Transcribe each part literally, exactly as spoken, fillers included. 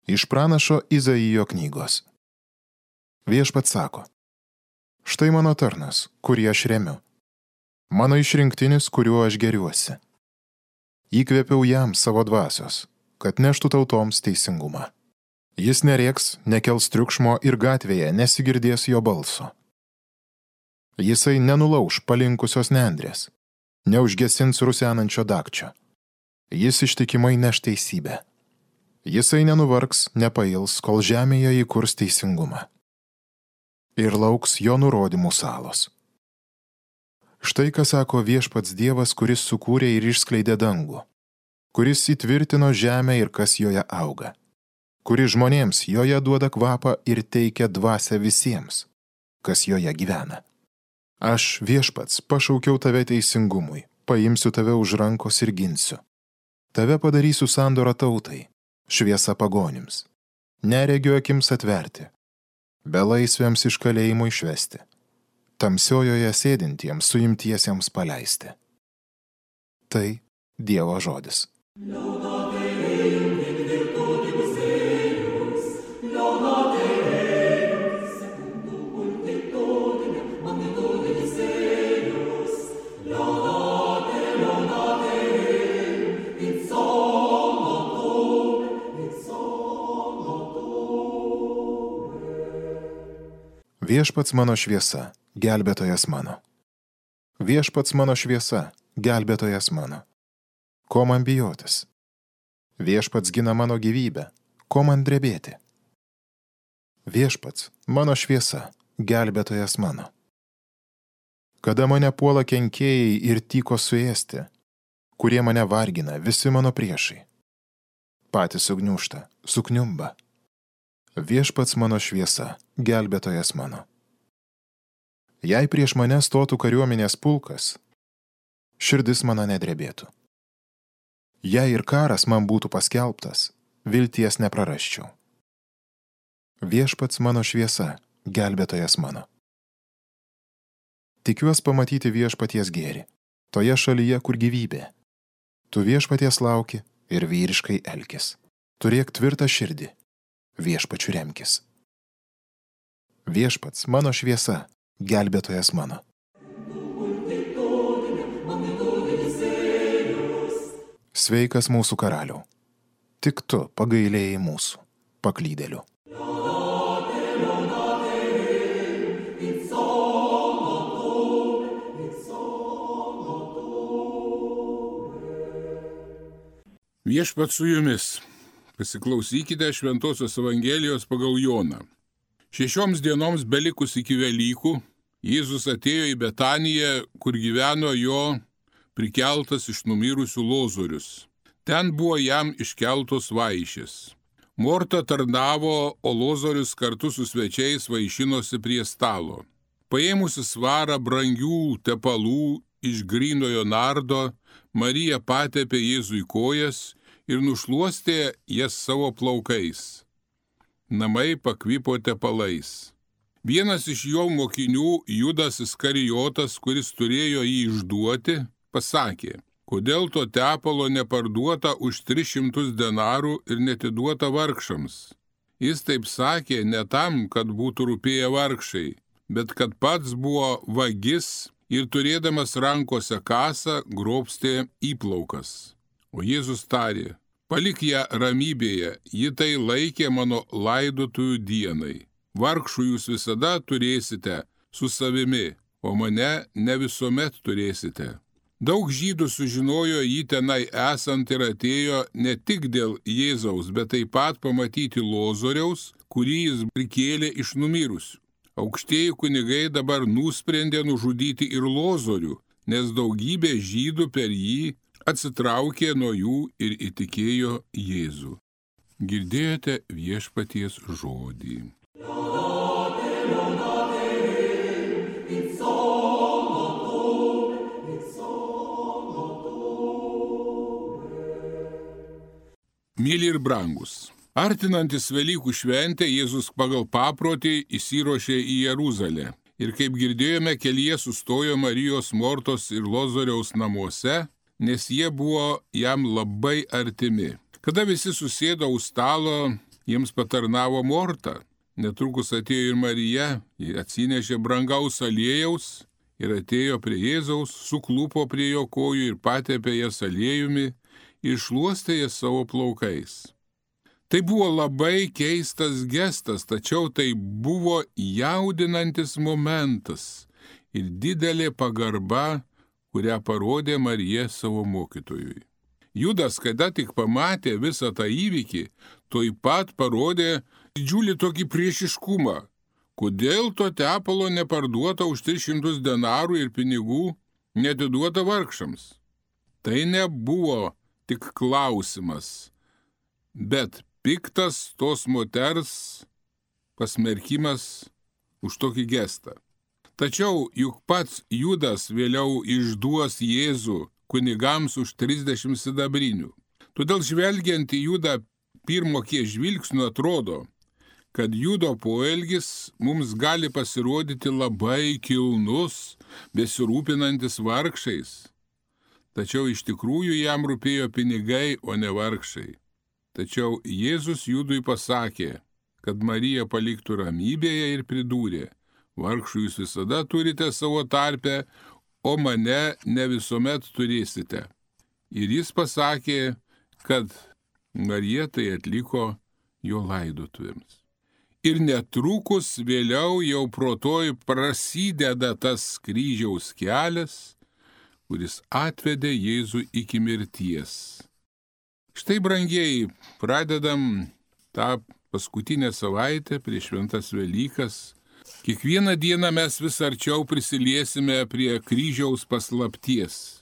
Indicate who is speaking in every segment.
Speaker 1: Iš pranašo Izaijo knygos. Viešpats sako: štai mano tarnas, kurį aš remiu, mano išrinktinis, kuriuo aš geriuosi. Įkvėpiau jam savo dvasios, kad neštų tautoms teisingumą. Jis nerėks, nekels triukšmo ir gatvėje nesigirdės jo balso. Jisai nenulauš palinkusios nendrės, neužgesins rusenančio dagčio. Jis ištikimai neš teisybę. Jisai nenuvargs, nepails, kol žemėje įkurs teisingumą. Ir lauks jo nurodymų salos. Štai ką sako Viešpats Dievas, kuris sukūrė ir išskleidė dangų, kuris įtvirtino žemę ir kas joje auga, kuris žmonėms joje duoda kvapą ir teikia dvasią visiems, kas joje gyvena. Aš, Viešpats, pašaukiau tave teisingumui, paimsiu tave už rankos ir ginsiu. Tave padarysiu sandorą tautai, šviesa pagonims, neregio akims atverti, belaisviams iš kalėjimo išvesti, tamsiojoje sėdintiems suimtiesiems paleisti. Tai Dievo žodis. Viešpats mano šviesa, gelbėtojas mano. Viešpats mano šviesa, gelbėtojas mano. Ko man bijotis? Viešpats gina mano gyvybę, ko man drebėti? Viešpats mano šviesa, gelbėtojas mano. Kada mane puola kenkėjai ir tyko suėsti, kurie mane vargina, visi mano priešai. Patys sugniūžta, sukniumba. Viešpats mano šviesa, gelbėtojas mano. Jei prieš mane stotų kariuomenės pulkas, širdis mano nedrebėtų. Jei ir karas man būtų paskelbtas, vilties neprarasčiau. Viešpats mano šviesa, gelbėtojas mano. Tikiuos pamatyti viešpaties gėrį, toje šalyje, kur gyvybė. Tu viešpaties lauki ir vyriškai elkis. Turėk tvirtą širdį. Viešpačiu remkis. Viešpats mano šviesa, gelbėtojas mano. Sveikas mūsų karaliau, tik tu pagailėjai mūsų, paklydėlių.
Speaker 2: Viešpats su jumis. Pasiklausykite Šventosios Evangelijos pagal Joną. Šešioms dienoms belikus iki Velykų, Jėzus atėjo į Betaniją, kur gyveno jo prikeltas iš numirusių Lozorius. Ten buvo jam iškeltos vaišės. Morta tarnavo, o Lozorius kartu su svečiais vaišinosi prie stalo. Paėmusi svarą brangių tepalų iš grynojo nardo, Marija patepė Jėzui kojas ir nušluostė jas savo plaukais. Namai pakvipo tepalais. Vienas iš jo mokinių, Judas Iskarijotas, kuris turėjo jį išduoti, pasakė: kodėl to tepalo neparduota už tris šimtus denarų ir netiduota vargšams? Jis taip sakė ne tam, kad būtų rūpėję vargšai, bet kad pats buvo vagis ir turėdamas rankose kasą grobstė įplaukas. O Jėzus tarė: palik ją ramybėje, ji tai laikė mano laidotųjų dienai. Vargšų jūs visada turėsite su savimi, o mane ne visuomet turėsite. Daug žydų sužinojo jį tenai esant ir atėjo ne tik dėl Jėzaus, bet taip pat pamatyti Lozoriaus, kurį jis prikėlė iš numirusių. Aukštieji kunigai dabar nusprendė nužudyti ir Lozorių, nes daugybė žydų per jį atsitraukė nuo jų ir įtikėjo Jėzų. Girdėjote viešpaties žodį. Myli ir brangus. Artinantis Velykų šventę, Jėzus pagal paprotį įsiruošė į Jeruzalę. Ir kaip girdėjome, kelyje sustojo Marijos, Mortos ir Lozoriaus namuose, nes jie buvo jam labai artimi. Kada visi susėdo už stalo, jiems patarnavo Morta. Netrukus atėjo ir Marija, ji atsinešė brangaus aliejaus ir atėjo prie Jėzaus, suklupo prie jo kojų ir patepė jas aliejumi ir šluostė jas savo plaukais. Tai buvo labai keistas gestas, tačiau tai buvo jaudinantis momentas ir didelė pagarba, kurią parodė Marija savo mokytojui. Judas, kada tik pamatė visą tą įvykį, tuoj pat parodė didžiulį tokį priešiškumą. Kodėl to tepalo neparduota už tris šimtus denarų ir pinigų neatiduota vargšams? Tai nebuvo tik klausimas, bet piktas tos moters pasmerkimas už tokį gestą. Tačiau juk pats Judas vėliau išduos Jėzų kunigams už trisdešimt sidabrinių. Todėl žvelgiant į Judą pirmo kiek žvilgsnių atrodo, kad Judo poelgis mums gali pasirodyti labai kilnus, besirūpinantis vargšais. Tačiau iš tikrųjų jam rūpėjo pinigai, o ne vargšai. Tačiau Jėzus Judui pasakė, kad Marija paliktų ramybėje ir pridūrė, vargšų jūs visada turite savo tarpe, o mane ne visuomet turėsite. Ir jis pasakė, kad Marija tai atliko jo laidotuvėms. Ir netrukus vėliau jau protoj prasideda tas kryžiaus kelias, kuris atvedė Jėzų iki mirties. Štai, brangieji, pradedam tą paskutinę savaitę prieš šventas Velykas. Kiekvieną dieną mes vis arčiau prisiliesime prie kryžiaus paslapties.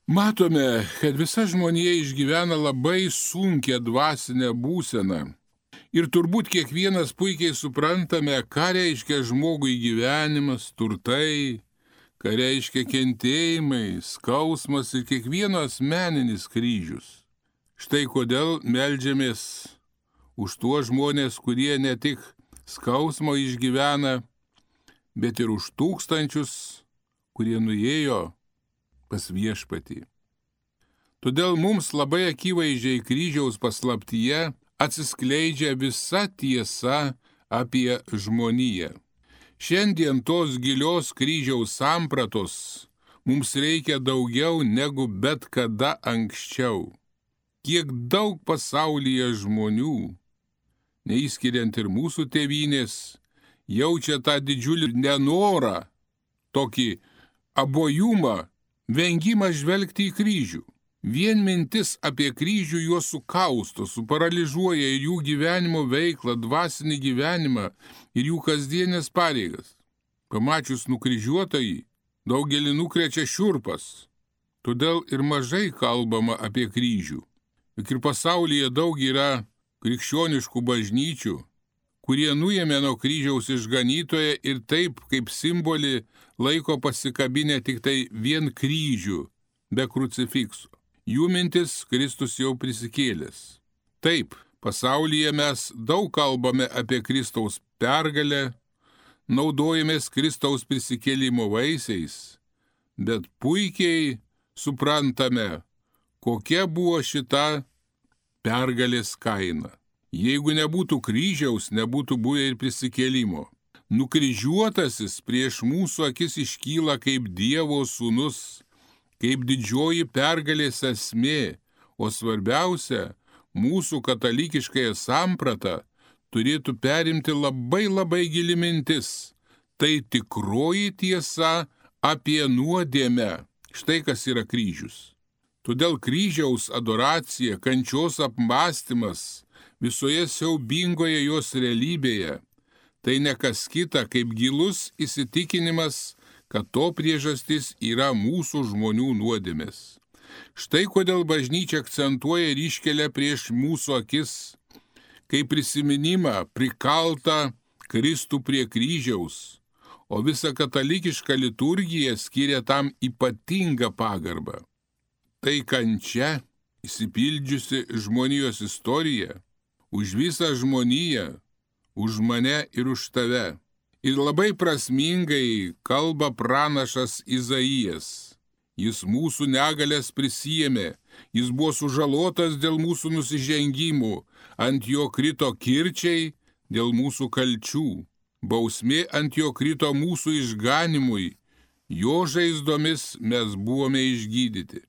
Speaker 2: Matome, kad visa žmonija išgyvena labai sunkią dvasinę būseną. Ir turbūt kiekvienas puikiai suprantame, ką reiškia žmogui gyvenimas, turtai, ką reiškia kentėjimai, skausmas ir kiekvieno asmeninis kryžius. Štai kodėl meldžiamės už tuos žmonės, kurie ne tik skausmo išgyvena, bet ir už tūkstančius, kurie nuėjo pas Viešpatį. Todėl mums labai akivaizdžiai kryžiaus paslaptyje atsiskleidžia visa tiesa apie žmoniją. Šiandien tos gilios kryžiaus sampratos mums reikia daugiau negu bet kada anksčiau. Kiek daug pasaulyje žmonių, neįskiriant ir mūsų tėvynės, jaučia tą didžiulį nenorą, tokį abojumą, vengimą žvelgti į kryžių. Vien mintis apie kryžių juos sukausto, suparaližuoja ir jų gyvenimo veiklą, dvasinį gyvenimą ir jų kasdienės pareigas. Pamačius nukryžiuotąjį, daugelį nukrečia šiurpas, todėl ir mažai kalbama apie kryžių. Juk ir pasaulyje daug yra krikščioniškų bažnyčių, kurie nuėmė nuo kryžiaus išganytoją ir taip kaip simbolį laiko pasikabinę tik tai vien kryžių, be krucifikso. Jų mintis Kristus jau prisikėlęs. Taip, pasaulyje mes daug kalbame apie Kristaus pergalę, naudojamės Kristaus prisikėlimo vaisiais, bet puikiai suprantame, kokia buvo šita pergalės kaina. Jeigu nebūtų kryžiaus, nebūtų buvę ir prisikėlimo. Nukryžiuotasis prieš mūsų akis iškyla kaip Dievo sūnus, kaip didžioji pergalės esmė, o svarbiausia, mūsų katalikiškąją sampratą turėtų perimti labai labai gili mintis. Tai tikroji tiesa apie nuodėmę. Štai kas yra kryžius. Todėl kryžiaus adoracija, kančios apmąstymas visoje siaubingoje jos realybėje, tai ne kas kita kaip gilus įsitikinimas, kad to priežastis yra mūsų žmonių nuodėmės. Štai kodėl bažnyčia akcentuoja ir iškelia prieš mūsų akis, kaip prisiminimą prikaltą Kristų prie kryžiaus, o visa katalikiška liturgija skiria tam ypatingą pagarbą. Tai kančia, įsipildžiusi žmonijos istorija, už visą žmoniją, už mane ir už tave. Ir labai prasmingai kalba pranašas Izaijas. Jis mūsų negalės prisijėmė, jis buvo sužalotas dėl mūsų nusižengimų, ant jo krito kirčiai dėl mūsų kalčių. Bausmė ant jo krito mūsų išganimui, jo žaizdomis mes buvome išgydyti.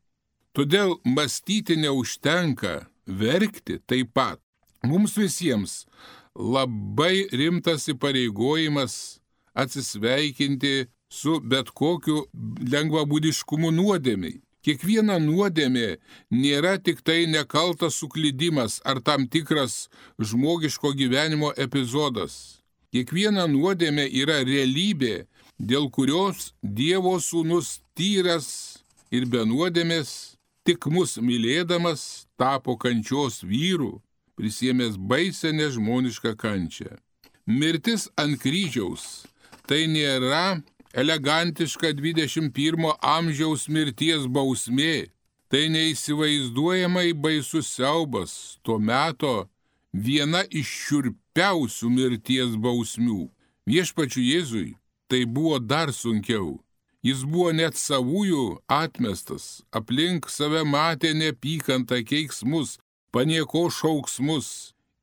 Speaker 2: Todėl mąstyti neužtenka, verkti taip pat. Mums visiems labai rimtas įpareigojimas atsisveikinti su bet kokiu lengvabūdiškumu nuodėmiai. Kiekviena nuodėmė nėra tik tai nekaltas suklydimas ar tam tikras žmogiško gyvenimo epizodas. Kiekviena nuodėmė yra realybė, dėl kurios Dievo sūnus tyras ir be nuodėmės, tik mus mylėdamas, tapo kančios vyru, prisiėmęs baisę nežmonišką kančią. Mirtis ant kryžiaus tai nėra elegantiška dvidešimt pirmo amžiaus mirties bausmė, tai neįsivaizduojamai baisus siaubas, tuo meto viena iš šiurpiausių mirties bausmių. Viešpačiui Jėzui tai buvo dar sunkiau. Jis buvo net savųjų atmestas, aplink save matė neapykantą, keiksmus, paniekos šauksmus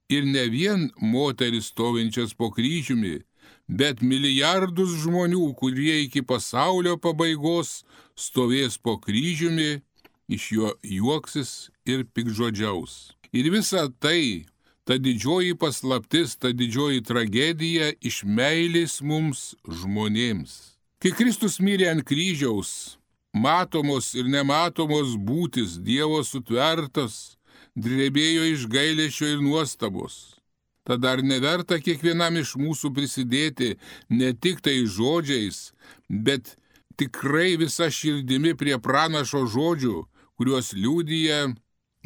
Speaker 2: ir ne vien moteris stovinčias po kryžiumi, bet milijardus žmonių, kurie iki pasaulio pabaigos stovės po kryžiumi, iš jo juoksis ir pikžodžiaus. Ir visa tai, ta didžioji paslaptis, ta didžioji tragedija iš meilės mums žmonėms. Kai Kristus mirė ant kryžiaus, matomos ir nematomos būtis, Dievo sutvertas, drebėjo iš gailesčio ir nuostabos. Tada ar neverta kiekvienam iš mūsų prisidėti ne tik tai žodžiais, bet tikrai visa širdimi prie pranašo žodžių, kuriuos liudija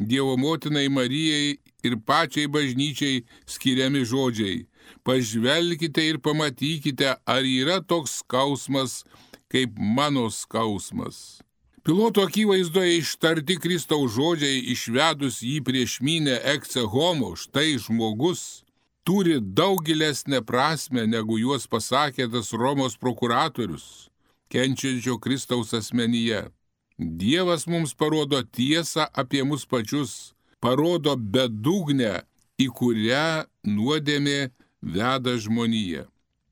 Speaker 2: Dievo motinai Marijai ir pačiai bažnyčiai skiriami žodžiai. Pažvelkite ir pamatykite, ar yra toks skausmas, kaip mano skausmas. Piloto akivaizdoje ištarti Kristaus žodžiai, išvedus jį prieš minią ecce homo, štai žmogus, turi daug gilesnę prasme, negu juos pasakė tas Romos prokuratorius, kenčiančio Kristaus asmenyje. Dievas mums parodo tiesą apie mus pačius, parodo bedugnę, į kurią nuodėmė veda žmoniją.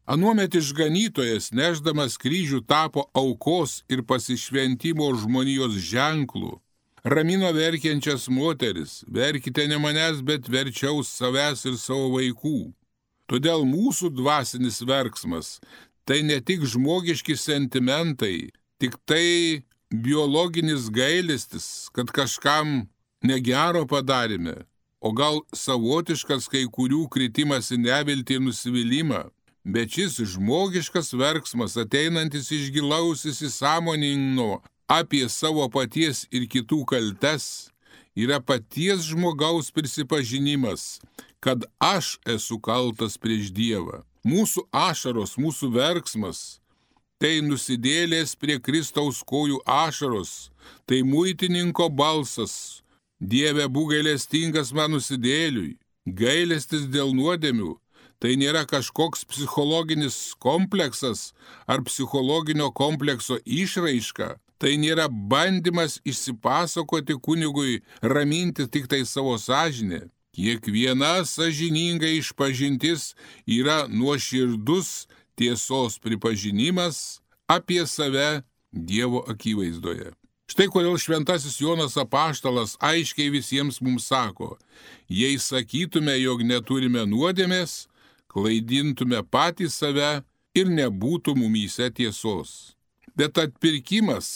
Speaker 2: Anuomet išganytojas, nešdamas kryžių, tapo aukos ir pasišventimo žmonijos ženklų. Ramino verkiančias moteris, verkite ne manęs, bet verčiau savęs ir savo vaikų. Todėl mūsų dvasinis verksmas tai ne tik žmogiški sentimentai, tik tai biologinis gailestis, kad kažkam negero padarėme, o gal savotiškas kai kurių kritimas į neviltį ir nusivylimą. Bet šis žmogiškas verksmas, ateinantis iš gilaus įsisąmoninimo apie savo paties ir kitų kaltes, yra paties žmogaus prisipažinimas, kad aš esu kaltas prieš Dievą. Mūsų ašaros, mūsų verksmas, tai nusidėlės prie Kristaus kojų ašaros, tai muitininko balsas, Dieve, būk gailestingas man nusidėliui. Gailestis dėl nuodėmių tai nėra kažkoks psichologinis kompleksas ar psichologinio komplekso išraiška. Tai nėra bandymas išsipasakoti kunigui, raminti tik tai savo sąžinę. Kiekviena sąžininga išpažintis yra nuoširdus tiesos pripažinimas apie save Dievo akivaizdoje. Štai kodėl šventasis Jonas apaštalas aiškiai visiems mums sako, jei sakytume, jog neturime nuodėmės, klaidintume patys save ir nebūtų mumyse tiesos. Bet atpirkimas,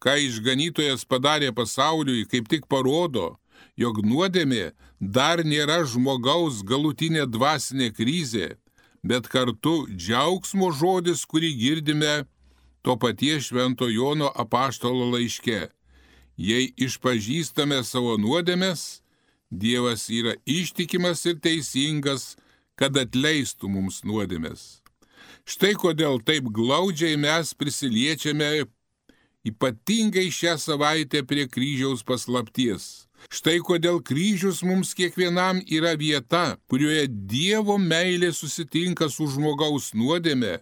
Speaker 2: ką išganytojas padarė pasauliui, kaip tik parodo, jog nuodėmė dar nėra žmogaus galutinė dvasinė krizė, bet kartu džiaugsmo žodis, kurį girdime to paties švento Jono apaštalo laiške. Jei išpažįstame savo nuodėmes, Dievas yra ištikimas ir teisingas, kad atleistų mums nuodėmes. Štai kodėl taip glaudžiai mes prisiliečiame ypatingai šią savaitę prie kryžiaus paslapties. Štai kodėl kryžius mums kiekvienam yra vieta, kurioje Dievo meilė susitinka su žmogaus nuodėme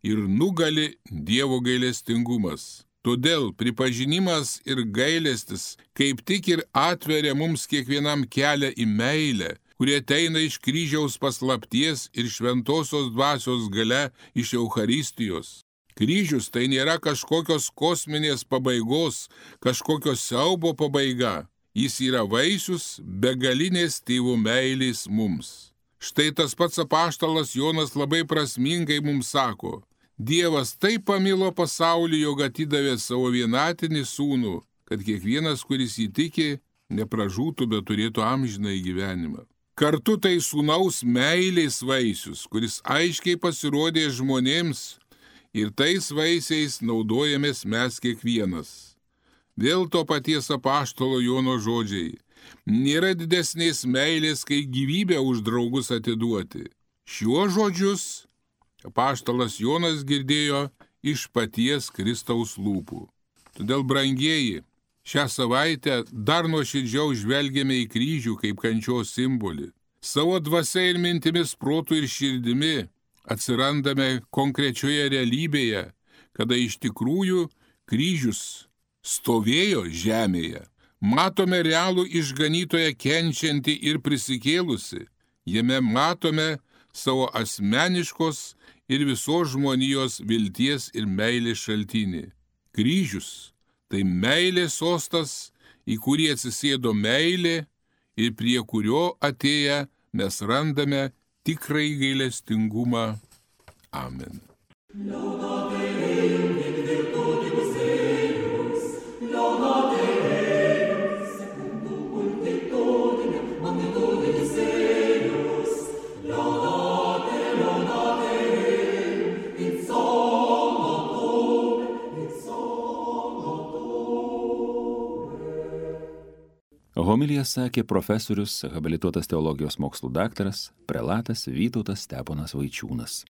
Speaker 2: ir nugali Dievo gailestingumas. Todėl pripažinimas ir gailestis kaip tik ir atveria mums kiekvienam kelią į meilę, kurie ateina iš kryžiaus paslapties ir šventosios dvasios gale iš Eucharistijos. Kryžius tai nėra kažkokios kosminės pabaigos, kažkokios siaubo pabaiga. Jis yra vaisius begalinės tėvo meilės mums. Štai tas pats apaštalas Jonas labai prasmingai mums sako: Dievas taip pamilo pasaulį, jog atidavė savo vienatinį sūnų, kad kiekvienas, kuris jį tiki, nepražūtų, bet turėtų amžinąjį gyvenimą. Kartu tai sūnaus meilės vaisius, kuris aiškiai pasirodė žmonėms, ir tais vaisiais naudojamės mes kiekvienas. Vėl to paties apaštalo Jono žodžiai: nėra didesnės meilės, kai gyvybę už draugus atiduoti. Šiuos žodžius apaštalas Jonas girdėjo iš paties Kristaus lūpų. Todėl, brangieji, šią savaitę dar nuoširdžiau žvelgiame į kryžių kaip kančios simbolį. Savo dvasia ir mintimis, protu ir širdimi atsirandame konkrečioje realybėje, kada iš tikrųjų kryžius stovėjo žemėje. Matome realų išganytoją kenčiantį ir prisikėlusi. Jame matome savo asmeniškos ir visos žmonijos vilties ir meilės šaltinį. Kryžius tai meilės sostas, į kurį atsisėdo meilė ir prie kurio atėję mes randame tikrąjį gailestingumą. Amen.
Speaker 3: Homiliją sakė profesorius, habilituotas teologijos mokslų daktaras, prelatas Vytautas Steponas Vaičiūnas.